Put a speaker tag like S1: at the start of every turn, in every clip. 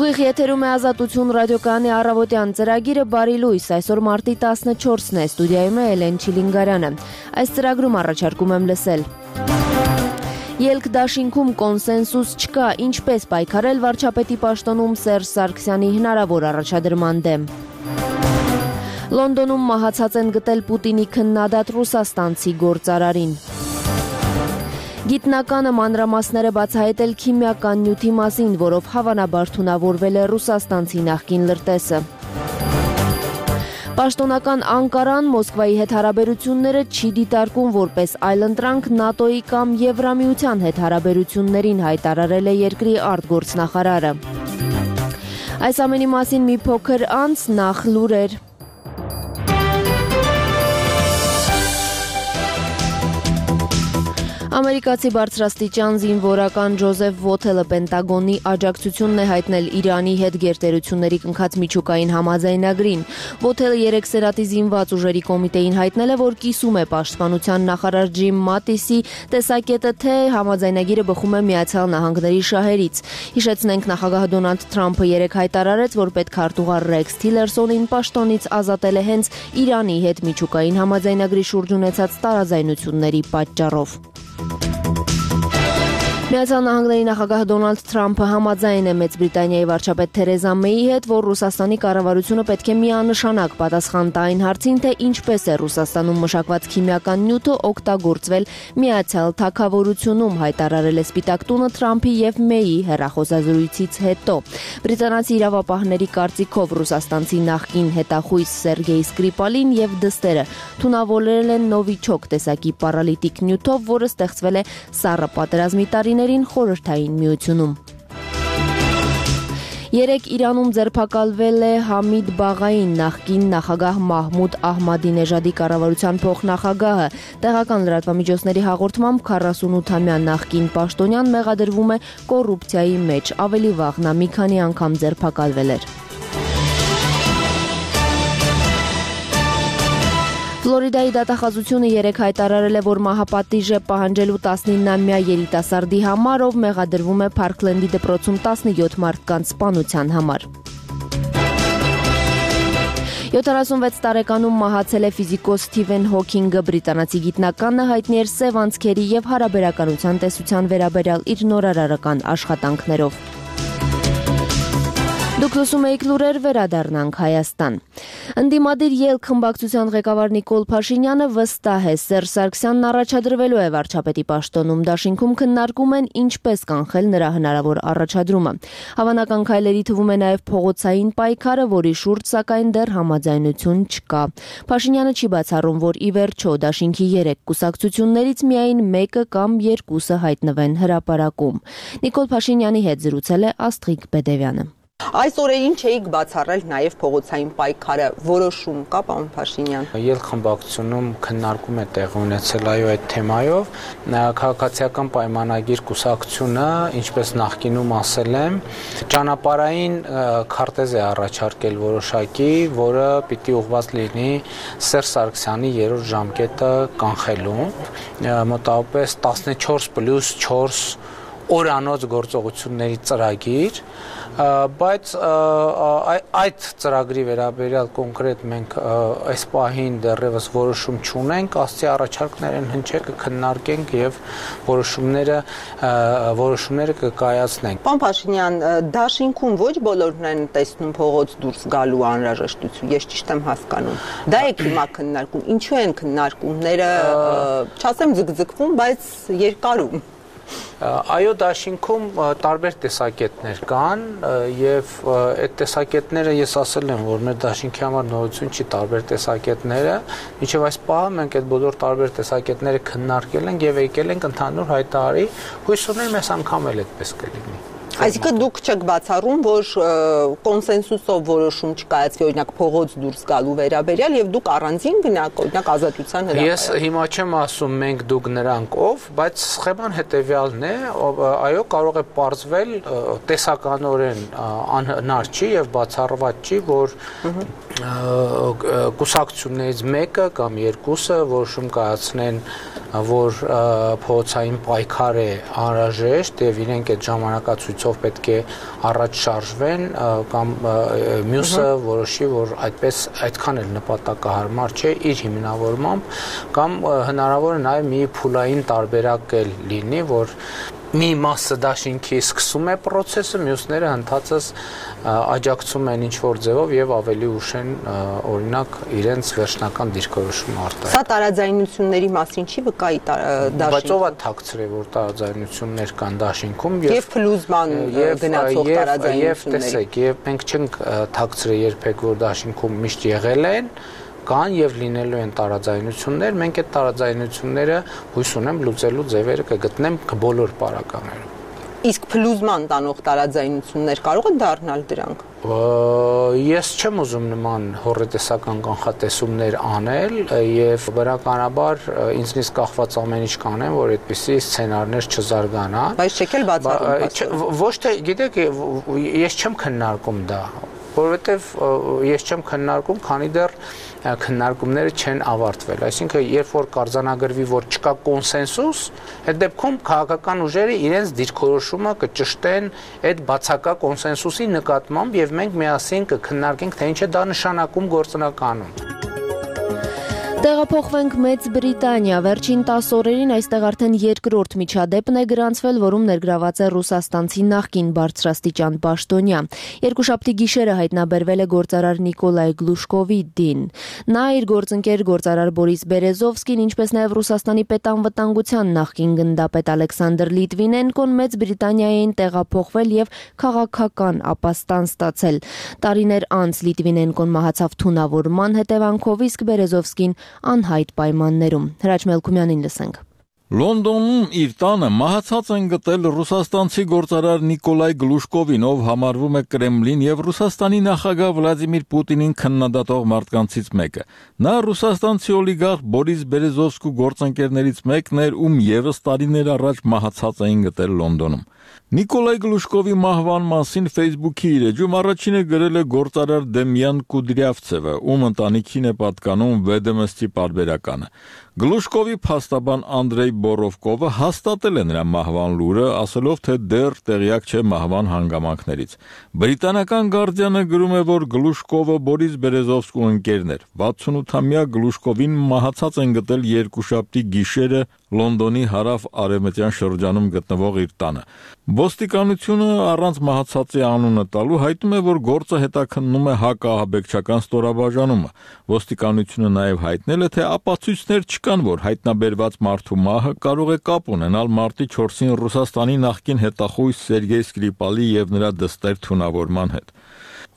S1: Ուղիղ եթերում է Ազատություն ռադիոկայանի առավոտյան ծրագիրը բարի լույս, այսօր մարտի 14-ն է, ստուդիայում է Էլեն Չիլինգարյանը։ Այս ծրագրում առաջարկում եմ լսել. Ելք դաշինքում կոնսենսուս չկա, ինչպես պայքարել վարչապետի պաշտոնում Սերժ Սարգսյանի հնարավոր առաջադրման դեմ։ Լոնդոնում մահացած են գտել Պուտինի քննադատ ռուսաստանցի գործարարին։ Գիտնականը մանրամասները բացահայտել քիմիական նյութի մասին, որով հավանաբար թունավորվել է ռուսաստանցի նախկին լրտեսը։ Պաշտոնական Անկարան Մոսկվայի հետ հարաբերությունները չի դիտարկում որպես այլընտրանք ՆԱՏՕ-ի կամ Եվրամիության հետ հարաբերություններին, հայտարարել է երկրի արտգործնախարարը։ Այս ամենի մասին մի փոքր անց նախ լուրեր։ Ամերիկացի բարձրաստիճան զինվորական Ջոզեֆ Վոթելը Պենտագոնի աջակցությունն է հայտնել Իրանի հետ գերտերությունների կնքած միջուկային համաձայնագրին։ Վոթելը 3 սերատի զինված ուժերի կոմիտեին հայտնել է, որ կիսում է պաշտպանության նախարար Ջիմ Մատիսի տեսակետը, թե համաձայնագիրը բխում է Միացյալ Նահանգների շահերից։ Հիշեցնենք, նախագահ Դոնալդ Թրամփը 3 հայտարարեց, որ պետքարտուղար Ռեքս Թիլերսոնին պաշտոնից ազատել է հենց Իրանի հետ միջուկային համաձայնագրի շուրջ ունեցած տարաձայնությունների պատճառով։ Միացյալ Նահանգների նախագահ Դոնալդ Թրամփը համաձայն է Մեծ Բրիտանիայի վարչապետ Թերեզա Մեյի հետ, որ Ռուսաստանի կառավարությունը պետք է միանշանակ պատասխան տա այն հարցին, թե ինչպես է Ռուսաստանում մշակված քիմիական նյութը օգտագործվել Միացյալ Թագավորությունում, հայտարարել է Սպիտակ տունը Թրամփի եւ Մեյի հեռախոսազրույցից հետո։ Բրիտանացի իրավապահների կարծիքով ռուսաստանցի նախկին հետախույզ Սերգեյ Սկրիպալին եւ դստերը թունավորել են նովիչոկ տեսակի պարալիտիկ նյութով, որը ստեղծվել է Սառը պատերազմի տարիներին Խորհրդային Միությունում։ Երեկ Իրանում ձերբակալվել է Համիդ Բաղային, նախկին նախագահ Մահմուդ Ահմադինեժադի կառավարության փոխնախագահը։ Տեղական լրատվամիջոցների հաղորդմամբ 48-ամյա նախկին պաշտոնյան մեղադրվում է կոռուպցիայի մեջ, ավելի վաղ նա մի քանի անգամ ձերբակալվել էր։ Ֆլորիդայի դատախազությունը 3 հայտարարել է, որ մահապատիժ է պահանջելու 19-ամյա երիտասարդի համար, ով մեղադրվում է Փարքլենդի դպրոցում 17 մարդկանց սպանության համար։ 76 տարեկանում մահացել է ֆիզիկոս Սթիվեն Հոքինգը, բրիտանացի գիտնականը հայտնի էր սև անցքերի եւ հարաբերականության տեսության վերաբերյալ իր նորարարական աշխատանքներով։ Դուք լսում եք լուրեր, վերադառնանք Հայաստան։ Ընդդիմադիր ելք խմբակցության ղեկավար Նիկոլ Փաշինյանը վստահ է, Սերժ Սարգսյանն առաջադրվելու է վարչապետի պաշտոնում, դաշինքում քննարկում են ինչպես կանխել նրա հնարավոր առաջադրումը։ Հավանական քայլերի թվում է նաև փողոցային պայքարը, որի շուրջ սակայն դեռ համաձայնություն չկա։ Փաշինյանը չի բացառում, որ ի վերջո դաշինքի 3 կուսակցություններից միայն մեկը կամ երկուսը հայտնվեն հրապարակում։ Նիկոլ Փաշինյանի հետ զրուցել է Աստղիկ Բեդևյանը։
S2: Այս օրերին չէիք բացառել նաև փողոցային պայքարը, որոշում կա, պարոն Փաշինյան։
S3: Ելք խմբակցությունում քննարկում է տեղ ունեցել այդ թեմայով, քաղաքացիական պայմանագիր կուսակցությունը, ինչպես նախկինում ասել եմ, ճանապարհային քարտեզ է առաջարկել որոշակի, որը պիտի ուղղված լինի Սերժ Սարգսյանի 3-րդ ժամկետը կանխելու, մոտավորապես 14+4 օրանոց գործողությունների ծրագիր, բայց այդ ծրագրի վերաբերյալ կոնկրետ մենք այս պահին դեռևս որոշում չունենք, ասցի առաջարկներ են հնչել, կքննարկենք եւ որոշումները կկայացնենք։
S2: Պարոն Փաշինյան, դաշինքում ոչ բոլորն են տեսնում փողոց դուրս գալու անհրաժեշտություն, ես ճիշտ եմ հասկանում։ Դա եք հիմա քննարկում, ինչու են քննարկումները, չասեմ ձգձգվում, բայց երկարում։
S3: Այո, դաշինքում տարբեր տեսակետներ կան եւ այդ տեսակետները ես ասել եմ, որ մեր դաշինքի համար նորություն չի տարբեր տեսակետները, մինչեւ այս պահը մենք այդ բոլոր տարբեր տեսակետները քննարկել ենք եւ եկել ենք ընդհանուր հայտարարի, հույս ունեմ այս անգամ էլ այդպես կլինի։
S2: Այսինքն դուք չեք բացառում, որ կոնսենսուսով որոշում չկայացվի, օրինակ փողոց դուրս գալու վերաբերյալ եւ դուք առանձին գնաք, օրինակ Ազատության հրապարակ։
S3: Ես հիմա չեմ ասում մենք դուք նրանք ով, բայց սխեման հետեւյալն է, այո, կարող է պարզվել տեսականորեն անհնար չի եւ բացառված չի, որ կուսակցություններից մեկը կամ երկուսը որոշում կայացնեն որ փողոցային պայքար է անհրաժեշտ եւ իրենք այդ ժամանակացույցով պետք է առաջ շարժվեն կամ մյուսը որոշի, որ այդքան էլ նպատակահարմար չէ իր հիմնավորմամբ կամ հնարավոր է նաեւ մի փուլային տարբերակ էլ լինի, որ մի մասը դաշինքի սկսում է process-ը, մյուսները ընդհանրապես աջակցում են ինչ-որ ձևով եւ ավելի ուշ են օրինակ իրենց վերջնական դիրքորոշումը արտահայտել։
S2: Սա տարաձայնությունների մասին չի վկայի դաշինքում։
S3: Բայց ով է թաքցրել, որ տարաձայնություններ կան դաշինքում
S2: եւ փլուզման գնացող տարաձայնությունների։
S3: Եվ տեսեք, եւ մենք չենք թաքցրել երբեք, որ դաշինքում միշտ եղել են կան եւ լինելու են տարաձայնություններ, մենք այդ տարաձայնությունները հույս ունեմ լուծելու ձևերը կգտնեմ բոլոր պարագաներում։
S2: Իսկ փլուզման տանող տարաձայնություններ կարող են դառնալ դրանք։
S3: Ես չեմ ուզում նման հոռետեսական կանխատեսումներ անել եւ բնականաբար ինձնից կախված ամեն ինչ կանեմ, որ այդպիսի սցենարներ չզարգանան։
S2: Բայց չեք էլ բացառում։
S3: Ոչ թե, գիտեք, ես չեմ քննարկում դա, որովհետեւ ես չեմ քննարկում, քանի դեռ քննարկումները չեն ավարտվել, այսինքն երբ որ կարձանագրվի, որ չկա կոնսենսուս, այդ դեպքում քաղաքական ուժերը իրենց դիրքորոշումը կճշտեն այդ բացակա կոնսենսուսի նկատմամբ եւ մենք միասին կքննարկենք, թե ինչ է դա նշանակում գործնականում։
S1: Տեղափոխվենք Մեծ Բրիտանիա, վերջին 10 օրերին այստեղ արդեն երկրորդ միջադեպն է գրանցվել, որում ներգրաված է ռուսաստանցի նախկին բարձրաստիճան պաշտոնյա։ Երկուշաբթի գիշերը հայտնաբերվել է գործարար Նիկոլայ Գլուշկովի դին։ Նա իր գործընկեր գործարար Բորիս Բերեզովսկին, ինչպես նաև Ռուսաստանի պետանվտանգության նախկին գնդապետ Ալեքսանդր Լիտվինենկոն Մեծ Բրիտանիա էին տեղափոխվել եւ քաղաքական ապաստան ստացել։ Տարիներ անց Լիտվինենկոն մահացավ թունավորման հետևանքով, իսկ Բերեզովսկին անհայտ պայմաններում։ Հրաչ Մելքումյանին լսենք։
S4: Լոնդոնում իր տանը մահացած են գտել ռուսաստանցի գործարար Նիկոլայ Գլուշկովին, ով համարվում է Կրեմլին եւ Ռուսաստանի նախագահ Վլադիմիր Պուտինին քննադատող մարդկանցից մեկը։ Նա ռուսաստանցի օլիգարխ Բորիս Բերեզովսկու գործընկերներից մեկն էր, ում եւս տարիներ առաջ մահացած էին գտել Լոնդոնում։ Նիկոլայ Գլուշկովի մահվան մասին Facebook-ի իր էջում առաջինը գրել է գործարար Դեմյան Կուդրյավցևը, ում ընտանիքին է պատկանում Վեդեմստի պարբերականը։ Գլուշկովի փաստաբան Անդրեյ Բորովկովը հաստատել է նրա մահվան լուրը, ասելով, թե դեռ տեղյակ չէ մահվան հանգամանքներից։ Բրիտանական Guardian-ը գրում է, որ Գլուշկովը Բորիս Բերեզովսկու ընկերն էր։ 68-ամյա Գլուշկովին մահացած են գտել երկուշաբթի գիշերը Լոնդոնի հարավ-արևմտյան շրջանում գտնվող իր տանը։ Ոստիկանությունը առանց մահացածի անունը տալու հայտնում է, որ գործը հետաքննում է հակաահաբեկչական ստորաբաժանումը։ Ոստիկանությունը նաև հայտնել է, թե ապացույցներ չկան, որ հայտնաբերված մարդու մահը կարող է կապ ունենալ մարտի 4-ին Ռուսաստանի նախկին հետախույզ Սերգեյ Սկրիպալի եւ նրա դստեր թունավորման հետ։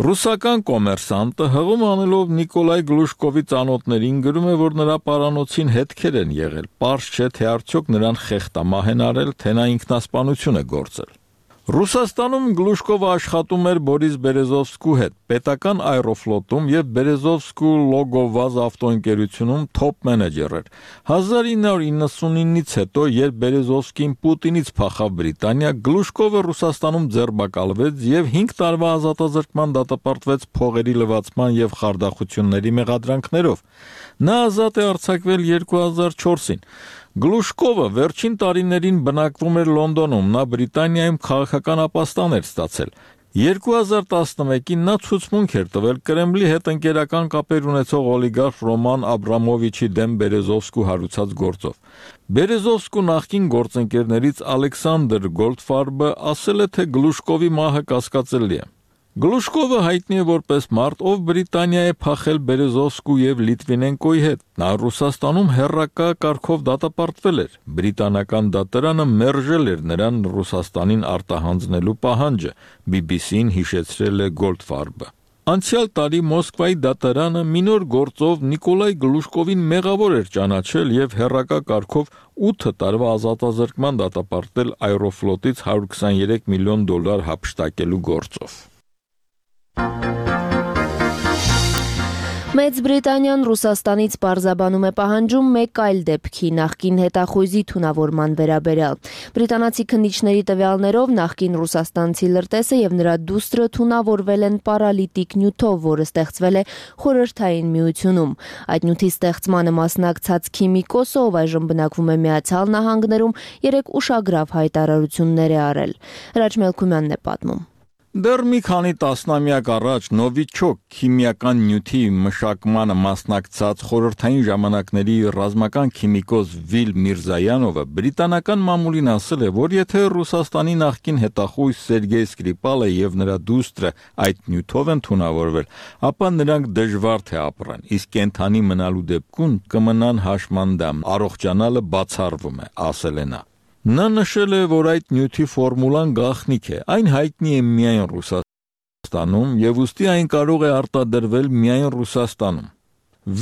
S4: Ռուսական կոմերսանտը հղում անելով Նիկոլայ Գլուշկովի ծանոթներին գրում է, որ նրա պարանոցին հետքեր են եղել։ Պարզ չէ, թե արդյոք նրան խեղտամահ են արել, թե նա ինքնասպանություն է գործել։ Ռուսաստանում Գլուշկովը աշխատում էր Բորիս Բերեզովսկու հետ, պետական Aeroflot-ում եւ Բերեզովսկու Լոգովազ ավտոընկերությունում թոփ մենեջեր էր։ 1999-ից հետո, երբ Բերեզովսկին Պուտինից փախավ Բրիտանիա, Գլուշկովը Ռուսաստանում ձերբակալվեց եւ 5 տարվա ազատազրկման դատապարտվեց փողերի լվացման եւ խարդախությունների մեղադրանքներով։ Նա ազատ է արձակվել 2004-ին։ Գլուշկովը վերջին տարիներին բնակվում էր Լոնդոնում, նա Բրիտանիայում քաղաքական ապաստան էր ստացել։ 2011-ին նա ցուցմունք էր տվել Կրեմլի հետ ընկերական կապեր ունեցող օլիգարխ Ռոման Աբրամովիչի դեմ Բերեզովսկու հարուցած գործով։ Բերեզովսկու նախկին գործընկերներից Ալեքսանդր Գոլդֆարբը ասել է, թե Գլուշկովի մահը կասկածելի է։ Գլուշկովը հայտնի է որպես մարդ, ով Բրիտանիա է փախել Բերեզովսկու եւ Լիտվինենկոյի հետ։ Նա Ռուսաստանում հերրակա կարգով դատապարտվել էր։ Բրիտանական դատարանը մերժել էր նրան Ռուսաստանին արտահանձնելու պահանջը, BBC-ին հիշեցրել է Գոլդֆարբը։ Անցյալ տարի Մոսկվայի դատարանը մի նոր գործով Նիկոլայ Գլուշկովին մեղավոր էր ճանաչել եւ հերրակա կարգով 8 տարվա ազատազրկման դատապարտել Aeroflot-ից $123 միլիոն հափշտակելու գործով։
S1: Մեծ Բրիտանիան Ռուսաստանից պարզաբանում է պահանջում մեկ այլ դեպքի նախկին հետախույզի թունավորման վերաբերյալ։ Բրիտանացի քննիչների տվյալներով նախկին ռուսաստանցի լրտեսը եւ նրա դուստրը թունավորվել են պարալիտիկ նյութով, որը ստեղծվել է Խորհրդային Միությունում։ Այդ նյութի ստեղծմանը մասնակցած քիմիկոսը, ով այժմ բնակվում է Միացյալ Նահանգներում, 3 ուշագրավ հայտարարություններ է արել։ Հրաչ Մելքումյանն է պատմում։
S4: Դեռ մի քանի տասնամյակ առաջ Նովիչոկ քիմիական նյութի մշակմանը մասնակցած խորհրդային ժամանակների ռազմական քիմիկոս Վիլ Միրզայանովը բրիտանական մամուլին ասել է, որ եթե Ռուսաստանի նախկին հետախույզ Սերգեյ Սկրիպալը եւ նրա դուստրը այդ նյութով են թունավորվել, ապա նրանք դժվար թե ապրեն, իսկ կենթանի մնալու դեպքում կմնան հաշմանդամ, առողջանալը բացառվում է, ասել է նա։ Նա նշել է, որ այդ նյութի ֆորմուլան գաղտնիք է, այն հայտնի է միայն Ռուսաստանում եւ ուստի այն կարող է արտադրվել միայն Ռուսաստանում։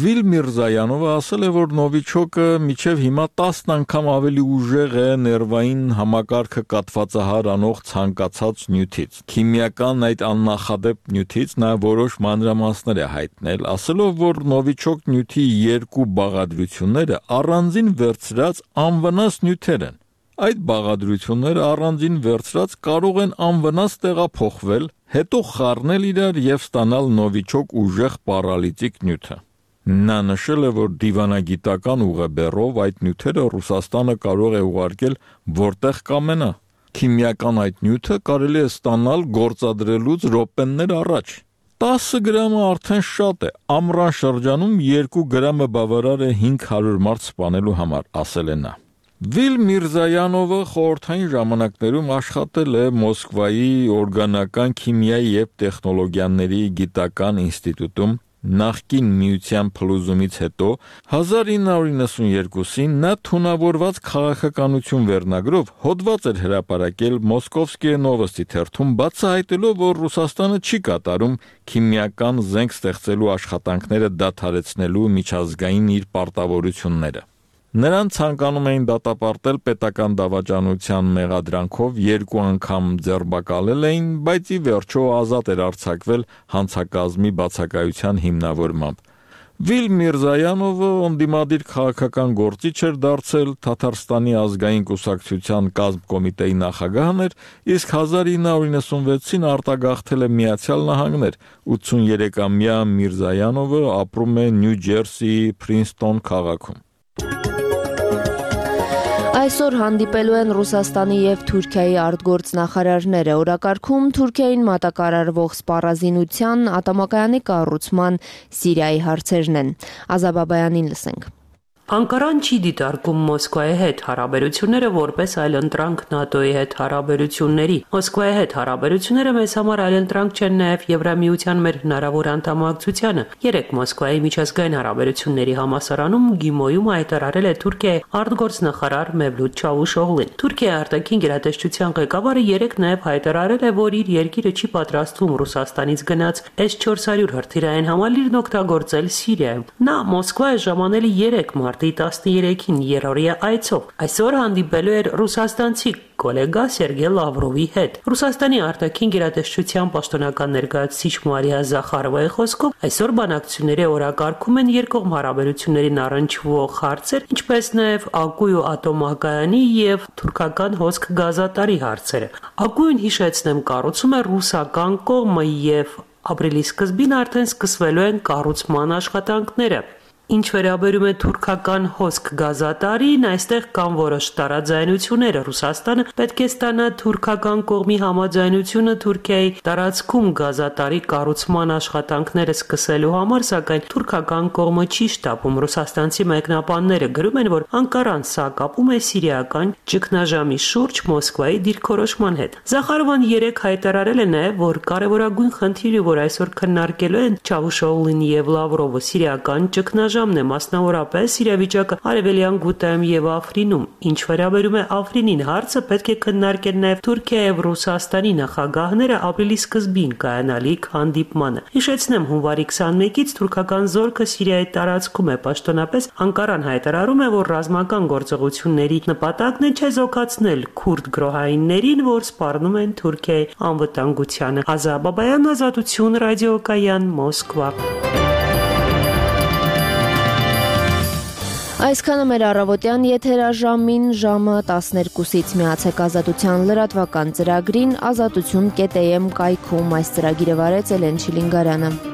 S4: Վիլ Միրզայանովը ասել է, որ Նովիչոկը մինչև հիմա 10 անգամ ավելի ուժեղ է ներվային համակարգը կաթվածահար անող ցանկացած նյութից։ Քիմիական այդ աննախադեպ նյութից նա որոշ մանրամասներ է հայտնել, ասելով, որ Նովիչոկ նյութի 2 բաղադրությունները առանձին վերցրած անվնաս նյութեր են։ Այդ բաղադրությունները առանձին վերցրած կարող են անվնաս տեղափոխվել, հետո խառնել իրար եւ ստանալ նովիչոկ ուժեղ պարալիտիկ նյութը։ Նա նշել է, որ դիվանագիտական ուղեբեռով այդ նյութերը Ռուսաստանը կարող է ուղարկել որտեղ կամենա։ Քիմիական այդ նյութը կարելի է ստանալ գործադրելուց րոպեներ առաջ։ 10 գրամը արդեն շատ է, ամռան շրջանում 2 գրամը բավարար է 500 մարդ սպանելու համար, ասել է նա։ Վիլ Միրզայանովը խորհրդային ժամանակներում աշխատել է Մոսկվայի օրգանական քիմիայի եւ տեխնոլոգիաների գիտական ինստիտուտում, նախկին միության փլուզումից հետո 1992-ին նա թունավորված քաղաքականություն վերնագրով հոդված էր հրապարակել Մոսկովսկիե նովոստի թերթում, բացահայտելով, որ Ռուսաստանը չի կատարում քիմիական զենք ստեղծելու աշխատանքները դադարեցնելու միջազգային իր պարտավորությունները։ Նրան ցանկանում էին դատապարտել պետական դավաճանության մեղադրանքով 2 անգամ ձերբակալել էին, բայց ի վերջո ազատ էր արձակվել հանցակազմի բացակայության հիմնավորմամբ։ Վիլ Միրզայանովը ընդդիմադիր քաղաքական գործիչ էր դարձել, Թաթարստանի ազգային կուսակցության կազմկոմիտեի նախագահն էր, իսկ 1996-ին արտագաղթել է Միացյալ Նահանգներ։ 83-ամյա Միրզայանովը ապրում է Նյու Ջերսիի Փրինսթոն քաղաքում։
S1: Այսօր հանդիպելու են Ռուսաստանի եւ Թուրքիայի արտգործնախարարները։ Օրակարգում Թուրքիային մատակարարվող սպառազինության, ատամակայանի կառուցման, Սիրիայի հարցերն են։ Ազա Բաբայանին լսենք։
S5: Անկարան չի դիտարկում Մոսկվայի հետ հարաբերությունները որպես այլընտրանք ՆԱՏՕ-ի հետ հարաբերությունների։ Մոսկվայի հետ հարաբերությունները մեզ համար այլընտրանք չեն նաև Եվրամիության մեր հնարավոր անդամակցությանը։ Երեք Մոսկվայի միջազգային հարաբերությունների համալսարանում Գիմոյում հայտարարել է Թուրքիայի արտգործնախարար Մևլութ Չավուշօղլին։ Թուրքիայի արտաքին գերատեսչության ղեկավարը երեք նաև հայտարարել է, որ իր երկիրը չի պատրաստվում Ռուսաստանից գնաց S-400 հրթիռային համալիրն օգտագործել Սիրիայում։ Նա Մոսկվա է ժամանել 3 մարտ 13-ին երրորդյա այցով։ Այսօր հանդիպելու էր ռուսաստանցի գոլեգա Սերգեյ Լավրովի հետ։ Ռուսաստանի արտաքին գերատեսչության պաշտոնական ներկայացուցիչ Մարիա Զախարովայի խոսքով այսօր բանակցությունների օրակարգում են երկկողմ հարաբերություններին առնչվող հարցեր, ինչպես նաև Ակույու ատոմակայանի եւ թուրքական հոսք գազատարի հարցերը։ Ակույուն, հիշեցնեմ, կառուցում է ռուսական կողմը եւ ապրիլի սկզբին արդեն սկսվելու են կառուցման աշխատանքները։ Ինչ վերաբերում է թուրքական հոսք գազատարին, այստեղ կան որոշ տարաձայնություններ։ Ռուսաստանը պետք է ստանա թուրքական կողմի համաձայնությունը Թուրքիայի տարածքում գազատարի կառուցման աշխատանքները սկսելու համար, սակայն թուրքական կողմը չի շտապում։ Ռուսաստանցի մեկնաբանները գրում են, որ Անկարան սա կապում է սիրիական ճգնաժամի շուրջ Մոսկվայի դիրքորոշման հետ։ Զախարովան երեք հայտարարել է նաև, որ կարևորագույն խնդիրը, որ այսօր քննարկելու են Չավուշօղլին եւ Լավրովը, սիրիական ճգնաժամ է, մասնավորապես իրավիճակը Արևելյան Գուտայում եւ Աֆրինում։ Ինչ վերաբերում է Աֆրինին, հարցը պետք է քննարկել նաեւ Թուրքիայի եւ Ռուսաստանի նախագահները ապրիլի սկզբին կայանալիք հանդիպմանը։ Հիշեցնեմ, հունվարի 21-ից թուրքական զորքը Սիրիայի տարածքում է, պաշտոնապես Անկարան հայտարարում է, որ ռազմական գործողությունների նպատակն է չեզոքացնել քուրդ գրոհայիններին, որ սպառնում են Թուրքիայի անվտանգությանը։ Ազա Բաբայան, Ազատություն, ռադիոկայան, Մոսկվա։
S1: Այսքանը մեր առավոտյան եթերաժամին ժամը 12-ից միացեք Ազատության լրատվական ծրագրին ազատություն.am կայքում այս ծրագիրը վարեց Էլեն Շիլինգարյանը։